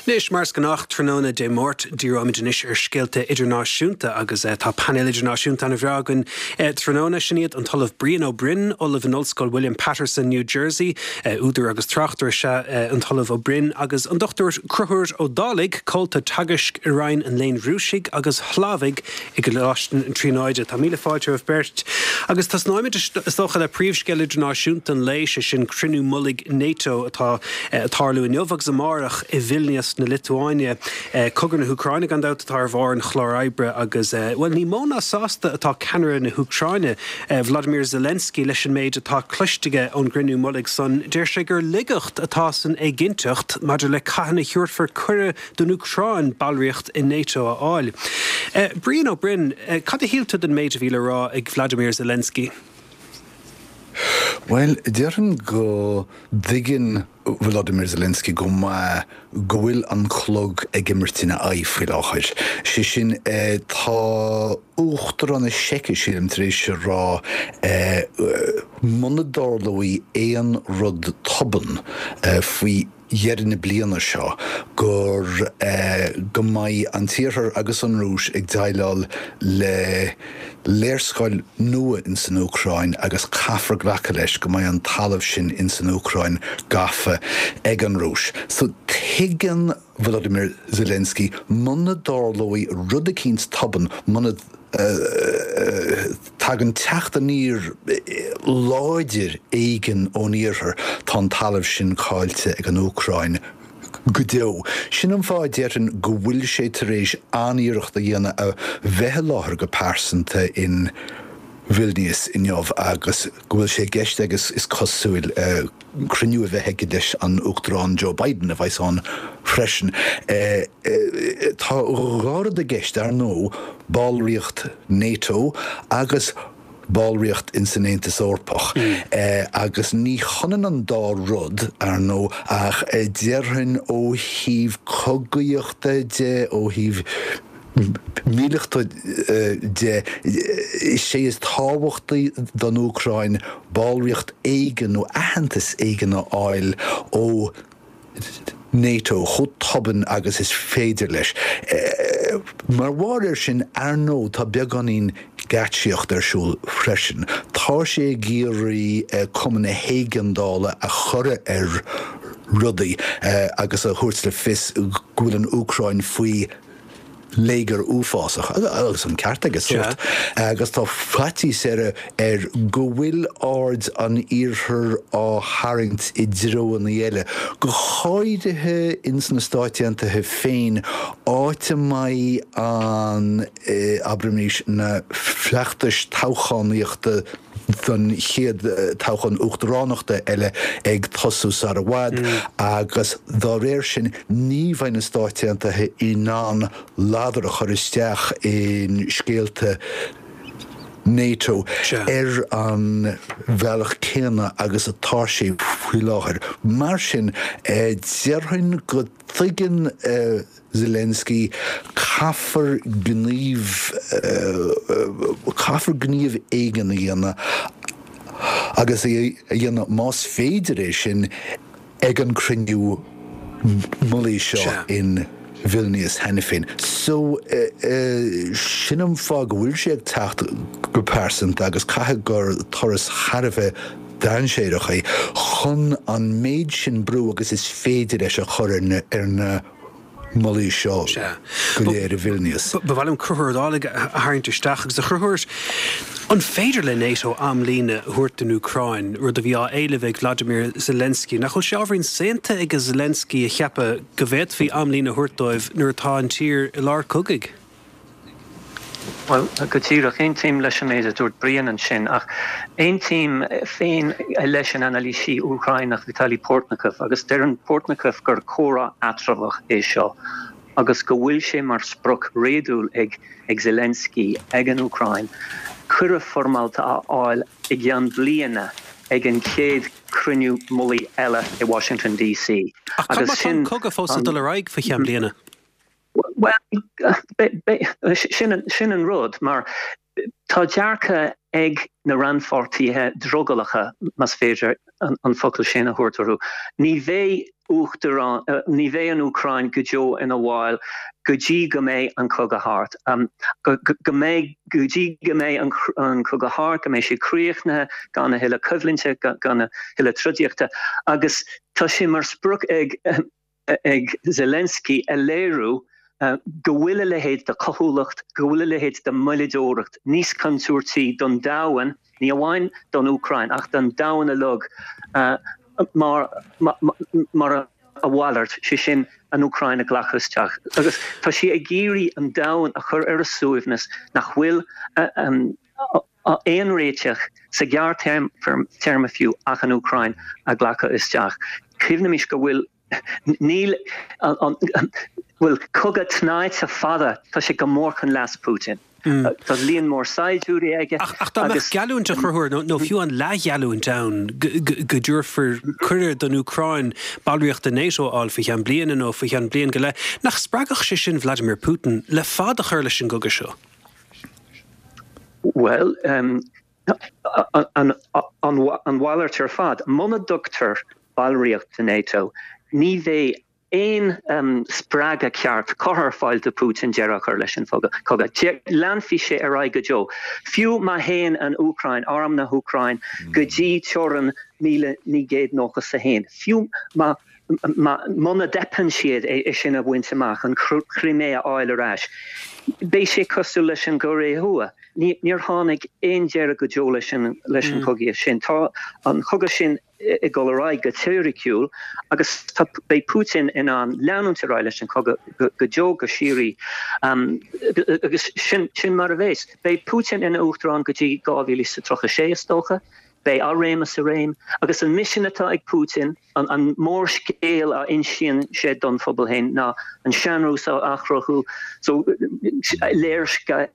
Anois, mar is gnách tráthnóna Dé Máirt, díreoimid anois ar scéalta idirnáisiúnta agus tá painéal idirnáisiúnta an-bhreá againn tráthnóna. Sin iad an tOllamh Brian Ó Broin, Ollamh in Ollscoil William Paterson, New Jersey, údar agus tráchtaire is ea an tOllamh Ó Broin, agus an Dr Conchúr Ó Dálaigh, Comhalta Teagaisc i Roinn an Léinn Rúisigh agus Shlávaigh i gColáiste na Tríonóide. Tá míle fáilte romhaibh beirt. Agus tosnóimid, is dócha, le príomhscéal idirnáisiúnta an lae, sé sin cruinniú mullaigh NATO atá ag tarlú inniu agus amárach i Vilnius na Liotuáine. Cogadh na hÚcráine, gan dabht, atá ar bharr an chláir oibre agus, bhuel, ní mó ná sásta atá ceannaire na hÚcráine, Vladimir Zelensky, leis an méid atá cloiste aige ón gcruinniú mullaigh san. Deir sé gur laigeacht atá san éiginnteacht maidir le cathain a thabharfar cuireadh don Úcráin ballraíocht i NATO a fháil. Brian Ó Broin, cad a shíl tú den méid a bhí le rá ag Vladimir Zelensky? Bhuel, déarfainn go dtuigeann Volodymyr Zelensky go maith go bhfuil an clog ag imirt ina aghaidh faoi láthair. Sé sin, tá Uachtarán na Seice, sílim, tar éis a rá muna dtarlóidh aon rud tobann faoi dheireadh na bliana seo gur go mbeidh an tIarthar agus an Rúis ag déileáil le léarscáil nua ins an Úcráin agus caithfear glacadh leis go mbeidh an talamh sin ins an Úcráin gafa ag an Rúis. So tuigeann Volodymyr Zelensky muna dtarlóidh rud eicínt tobann, muna Tagann teacht aniar láidir éigin ón iarthar, tá an talamh sin caillte ag an Úcráin go deo. Sin an fáth, déarfainn, go bhfuil sé tar éis an-iarracht a dhéanamh a bheith i láthair go pearsanta in Vilnius inniu agus go bhfuil sé i gceist aige, is cosúil, cruinniú a bheith aige leis an Uachtarán Joe Biden, a bheas ann freisin. Tá dhá rud i gceist, ar ndóigh, ballraíocht NATO agus ballraíocht ins an Aontas Eorpach. Agus ní hionann an dá rud, ar ndóigh, ach déarfainn ó thaobh cogaíochta de, ó thaobh míleata de, is é is tábhachtaí don Úcráin ballraíocht éigin nó aitheantas éigin a fháil ó NATO chomh tobann agus is féidir leis. Mar bharr air sin, ar ndóigh, tá beagáinín geáitsíocht ar siúl freisin. Tá sé ag iarraidh cuma na héigeandála a chur ar rudaí agus a thabhairt le fios go bhfuil an Úcráin faoi léigear uafásach, agus an ceart aige, sórt, agus tá faitíos air air go bhfuil aird an Iarthair á tharraingt i dtreoanna eile, go háirithe ins na Stáit Aontaithe féin, áit a mbeidh an, abraimis, na feachtais toghchánaíochta don chéad toghchán uachtaránachta eile ag tosú sar i bhfad agus dá réir sin ní bheidh na Stáit Aontaithe in ann ladar a chur isteach in scéalta NATO ar an bhealach céanna agus atá sé faoi láthair. Mar sin, déarfainn go dtuigeann Zelensky, caithfear gníomh, caithfear gníomh éigin a dhéanamh agus é a dhéanamh, más féidir é sin, ag an cruinniú mullaigh seo in Vilnius cheana féin. So, sin an fáth go bhfuil sé ag teacht go pearsanta agus caithfidh gur turas thar a bheith dainséarach é chun an méid sin brú agus is féidir leis a chur ar na mullaí seo go léir i Vilnius. Ba mhaith liom Conchúr Ó Dálaigh a tharraingt isteach agus a Chonchúir, an féidir le NATO amlíne a thabhairt don Úcráin, rud a bhí á éileamh ag Vladimir Zelensky? Nach bhfuil sé ábhairín saonta ag Zelensky a cheapadh go bhféadfaí amlíne a thabhairt dóibh nuair atá an tír i lár cogaidh? Bhuel, go díreach, aontaím leis an méid a dúirt Brian ansin, ach aontaím féin leis an anailísí Úcráineach Vitaly Portnikov, agus deireann Portnikov gur comhrá eatramhach é seo agus go bhfuil sé mar sprioc réadúil ag ag Zelensky, ag an Úcráin, cuireadh foirmeálta a fháil i gceann bliana ag an chéad cruinniú mullaigh eile i Washington DC. Ach cad má tá an cogadh fós ag dul ar aghaidh faoi cheann bliana? Bhuel, sin an rud, mar tá dearcadh ag na rannpháirtithe drogallacha, más féidir an focal sin a thabhairt orthu, ní bheidh uachtarán, ní bheidh an Úcráin go deo ina bhall go dtí go mbeidh an cogadh thart. Go mbeidh, go dtí go mbeidh an cogadh thart, go mbeidh sé críochnaithe, gan a thuilleadh coimhlinte, gan a thuilleadh trodaíochta. Agus tá sé mar sprioc ag. ag Zelensky a léiriú go bhfuil a leithéid de chaothúlacht, go bhfuil a leithéid de mhoilleadóireacht níos contúirtí don domhan, ní amháin don Úcráin ach don domhan uilig, mar mar a mhalairt, sé sin an Úcráin a ghlacadh isteach. Agus tá sé ag iarraidh an domhan a chur ar a suaimhneas nach bhfuil aon réiteach sa ghearrthéarma fiú ach an Úcráin a ghlacadh isteach. Cuimhnimis go bhfuil, níl, bhuel, cogadh tnáite fada, tá sé go mór chun leas Putin. Tá líon mór saighdiúirí aige agus. Ach dá mbeadh geallúint a Chonchúir, nó fiú an leathgheallúint ann go dtabharfar cuireadh don Úcráin ballraíocht i NATO a fháil faoi cheann bliana nó faoi cheann bliain go leith, nach spreagfadh sé sin Vladimir Putin le fad a chur leis an gcogadh seo? Bhuel, an mhalairt ar fad. Muna dtugtar ballraíocht do NATO, ní bheidh aon spreagadh ceart curtha ar fáil do Putin deireadh a chur leis an chogadh. Leanfaidh sé ar aghaidh go deo. Fiú má théann an Úcráin, arm na hÚcráin, go dtí teorainn 1991, fiú má Muna dteipeann siad é sin a bhaint amach, an Chrimé a fháil ar ais, beidh sé cosúil leis an gCóiré Thuaidh. Níor tháinig aon deireadh go deo leis an chogaíocht sin. Tá an cogadh sin ag dul ar aghaidh go teoiriciúil agus beidh Putin in ann leanúint ar aghaidh leis an chogadh go deo go síoraí agus sin mar a bheas. Beidh Putin ina uachtarán go dtí 2036 is dócha. Beidh a réimeas i réim agus an misean atá ag Putin, An mórscéal a insíonn sé don phobal féin ná an sean-Rúis a athchruthú, so léirscéal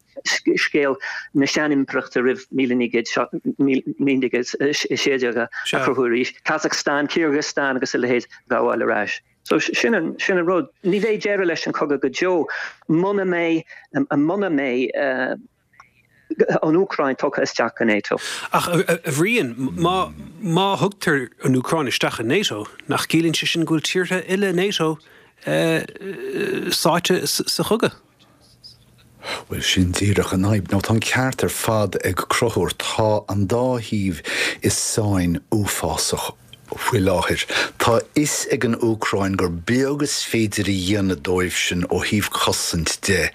na seanimpireachta roimh 1916 a chruthú arís, Kazakhstan, Kyrgyzstan agus a leithéid a ghabháil ar ais. So sin an rud. Ní bheidh deireadh leis an chogadh go deo muna mbeidh, muna mbeidh, an Úcráin tugtha isteach go NATO. Ach, a Bhriain, má, má thugtar an Úcráin isteach i NATO, nach gciallaíonn sé sin go bhfuil tíortha uile NATO sáite sa chogadh? Bhuel, sin díreach an fhadhb. Nó tá an ceart ar fad ag Conchúr, tá an dá thaobh i sáinn uafásach faoi láthair. Tá a fhios ag an Úcráin gur beag is féidir a dhéanamh dóibhsean ó thaobh cosaint de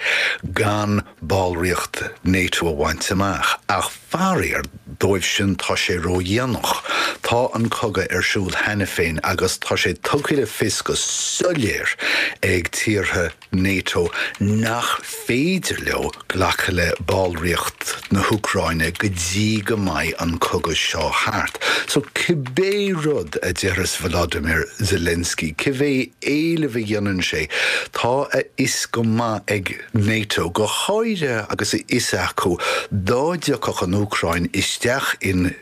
gan ballraíocht NATO a bhaint amach, ach faraor dóibhsean tá sé ródhéanach. Tá an cogadh ar siúl cheana féin agus tá sé tugtha le fios go soiléir ag tíortha NATO nach féidir leo glacadh le ballraíocht na hÚcráine go dtí go mbeidh an cogadh seo thart. So cibé rud a déarfas Volodymyr Zelensky, cibé éileamh a dhéanann sé, tá a fhios go maith ag NATO, go háirithe agus a fhios acu dá dtiocfadh an Úcráin isteach in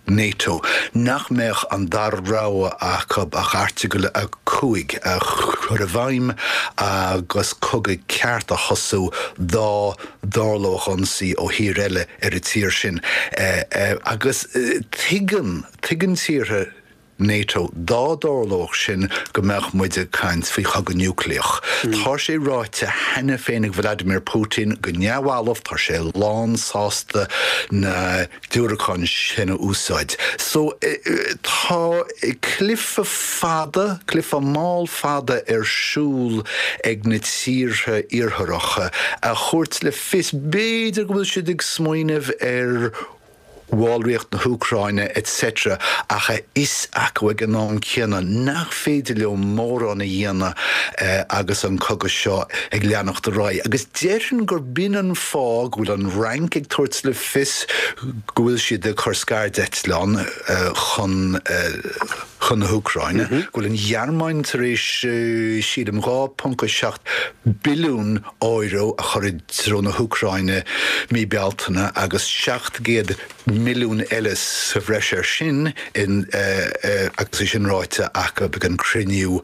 NATO, nach mbeadh an dara rogha acu ach Airteagal 5 a chur i bhfeidhm agus cogadh ceart a thosú dá dtarlódh ionsaí ó thír eile ar an tír sin. Agus tuigeann, tuigeann tíortha NATO dá dtarlódh sin go mbeadh muid ag caint faoi chogadh núicléach. Tá sé ráite cheana féin ag Vladimir Putin go neamhbhalbh, tá sé lánsásta na diúracáin sin a úsáid. So, tá cluiche fada, cluiche mall fada ar siúl ag na tíortha iartharacha a thabhairt le fios, b'fhéidir go bhfuil siad ag smaoineamh ar bhallraíocht na hÚcráine etc. ach a fhios acu ag an am céanna nach féidir leo mórán a dhéanamh agus an cogadh seo ag leanacht ar aghaidh. Agus déarfainn gur b'in an fáth go bhfuil an Fhrainc ag tabhairt le fios go bhfuil siad ag cur scairdeitleán chun chun na hÚcráine, go bhfuil an Ghearmáin tar éis, sílim, 2.7 billiún euro a chur i dtreo na hÚcráine mí Bealtaine agus 700 milliún eile sa bhreis air sin, agus é sin ráite acu ag an cruinniú.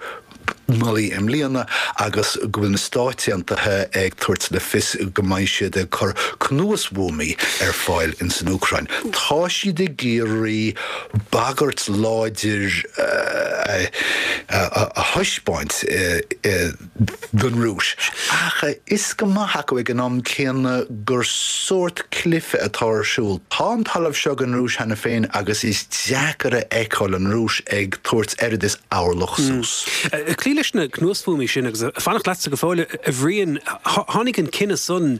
Nollaig i mbliana agus go bhfuil na Stáit Aontaithe ag tabhairt le fios go mbeidh siad ag cur cnuasbhuamaí ar fáil ins an Úcráin. Tá siad ag iarraidh bagairt láidir a thaispeáint don Rúis. Ach is go maith acu ag an am céanna gur sórt cluife atá ar siúl. Tá an talamh seo ag an Rúis cheana féin agus is deacair a fheiceáil an Rúis ag tabhairt oiread is orlach suas. Ag cloí leis na cnuasbhuamaí sin, agus ag fanacht leatsa go fóill, a Bhriain, tháinig an cinneadh san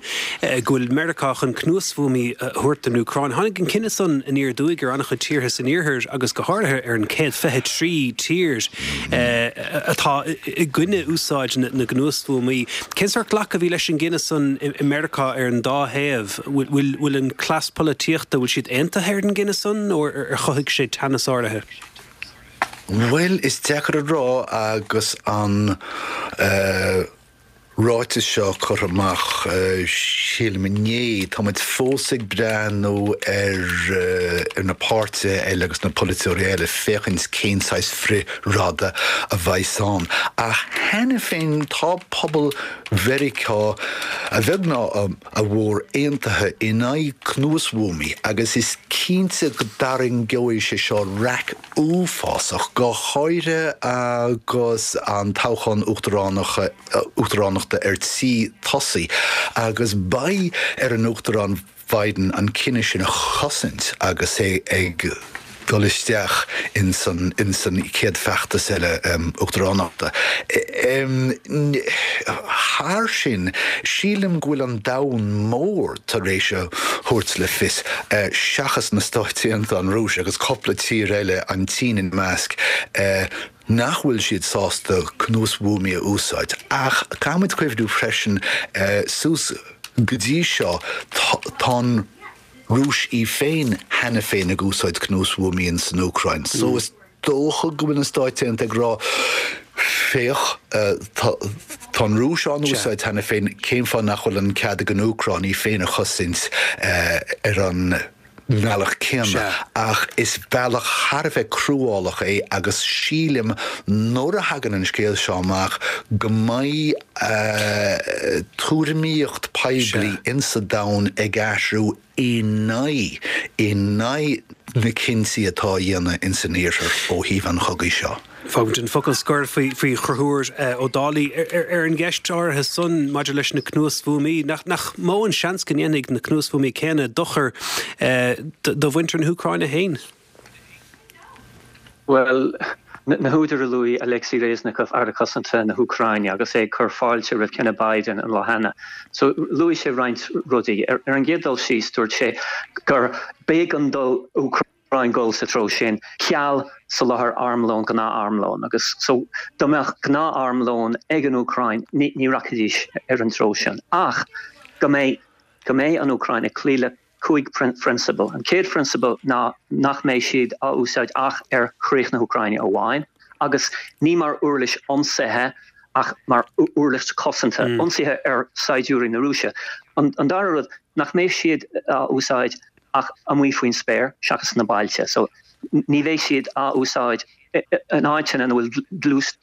go bhfuil Meiriceá chun cnuasbhuamaí a thabhairt don Úcráin, tháinig an cinneadh san aniar aduaidh ar an-chuid tíortha san Iarthar agus go háirithe ar an 123 tír atá i gcoinne úsáid na gcnuasbhuamaí. Cén sórt glacadh a bhí leis an gcinneadh san i Meiriceá ar an dá thaobh? Bhfuil an cleas polaitíochta, bhfuil siad aontaithe ar an gcinneadh san nó ar chothaigh sé teannas áirithe? Bhuel, is deacair a rá agus an ráiteas seo curtha amach, sílim, inné. Tá muid fós ag breathnú ar na páirtithe eile agus na polaiteoirí eile féachaint cén saghas frith-rada a bheas ann. Ach cheana féin tá pobal Mheiriceá, a bheag ná a mhór, aontaithe in aghaidh cnuasbhuamaí agus is cinnte go dtarraingeoidh sé seo raic uafásach, go háirithe agus an toghchán uachtaránachta ar tí tosaí, agus beidh ar an Uachtarán Biden an cinneadh sin a chosaint agus é ag dul isteach ins an chéad feachtas eile uachtaránachta. Thar sin, sílim go bhfuil an domhan mór tar éis a thabhairt le fios, seachas na Stáit Aontaithe, an Rúis agus cúpla tír eile, an tSín ina measc, nach bhfuil siad sásta cnuasbhuamaí a úsáid. Ach caithfimid cuimhniú freisin, suas go dtí seo, tá an Rúis í féin cheana féin ag úsáid cnuasbhuamaí in san Úcráin. So is dócha go bhfuil na Stáit Aontaithe ag rá, féach, tá an Rúis á n-úsáid cheana féin, cén fáth nach bhfuil an cead ag an Úcráin í féin a chosaint ar an mbealach céanna? Ach is bealach thar a bheith cruálach é agus sílim nuair a thagann an scéal seo amach go mbeidh tuairimíocht poiblí insa domhan ag athrú in aghaidh, in aghaidh na cinntí atá á dhéanamh ins an Iarthar ó thaobh an chogaidh seo. Fágfaimid an focal scoir faoi Chonchúr Ó Dálaigh ar an gceist áirithe san maidir leis na cnuasbhuamaí. Nach mó an seans go ndéanfaidh na cnuasbhuamaí céanna dochar do mhuintir na hÚcráine féin? Bhuel, na húdair a luaigh Alexei Reznikov, Aire Cosanta na hÚcráine, agus é ag cur fáilte roimh chinneadh Biden an lá cheana. So, luaigh sé roinnt rudaí. Ar an gcéad dul síos, dúirt sé gur b'éigean don Úcráin dul sa treo sin, ceal soláthar armlóin, gnáth-armlóin. Agus so, dá mbeadh gnáth-armlón ag an Úcráin, ní rachaidís ar an treo sin. Ach go mbeidh, go mbeidh an Úcráin ag cloí le 5 phrionsabal. An chéad phrionsabal ná nach mbeidh siad á úsáid ach ar chríoch na hÚcráine amháin, agus ní mar uirlis ionsaithe ach mar uirlis cosanta, ionsaithe ar saighdiúirí na Rúise. An dara rud, nach mbeidh siad á úsáid ach amuigh faoin spéir seachas sna bailte. So ní bheidh siad á úsáid in áiteanna ina bhfuil dlús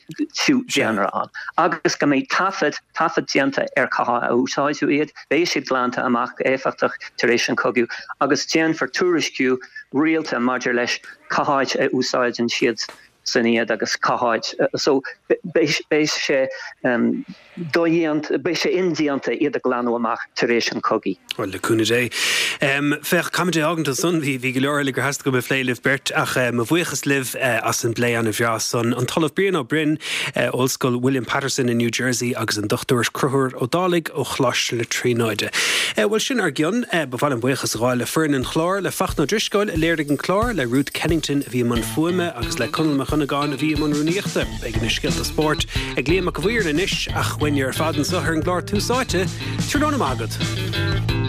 daonra ann, agus go mbeidh taifead, taifead déanta ar cá háit a úsáideadh iad, beidh siad glanta amach go éifeachtach tar éis an chogaidh, agus déanfar tuairisciú rialta maidir leis cá háit a úsáideann siad san iad agus cá háit, so beidh sé. dodhéanta, beidh sé indéanta iad a ghlanadh amach tar éis an chogaidh. Bhuel, le cúnamh Dé. Féach, caithfimid é a fhágaint ansan. Bhí, bhí go leor eile gur theastaigh uaim a phlé libh beirt, ach mo bhuíochas libh as an bplé ana-bhreá san. An tOllamh Brian Ó Broin, Ollscoil William Paterson i New Jersey agus an Dr Conchúr Ó Dálaigh ó Choláiste na Tríonóide. Bhuel, sin ár gcionn. Ba mhaith liom buíochas a ghabháil le foireann an chláir, le Fachtna Ó Drisceoil a léirigh an clár, le Ruth Kennington a bhí i mbun fuaime agus le Conall Mac Dhonnagáin a bhí i mbun rúnaíochta. Beidh na scéalta spóirt ag Liam Mac a' Mhaoir anois ach uainne ar fad anseo ar an gclár Tús Áite, tráthnóna maith agat.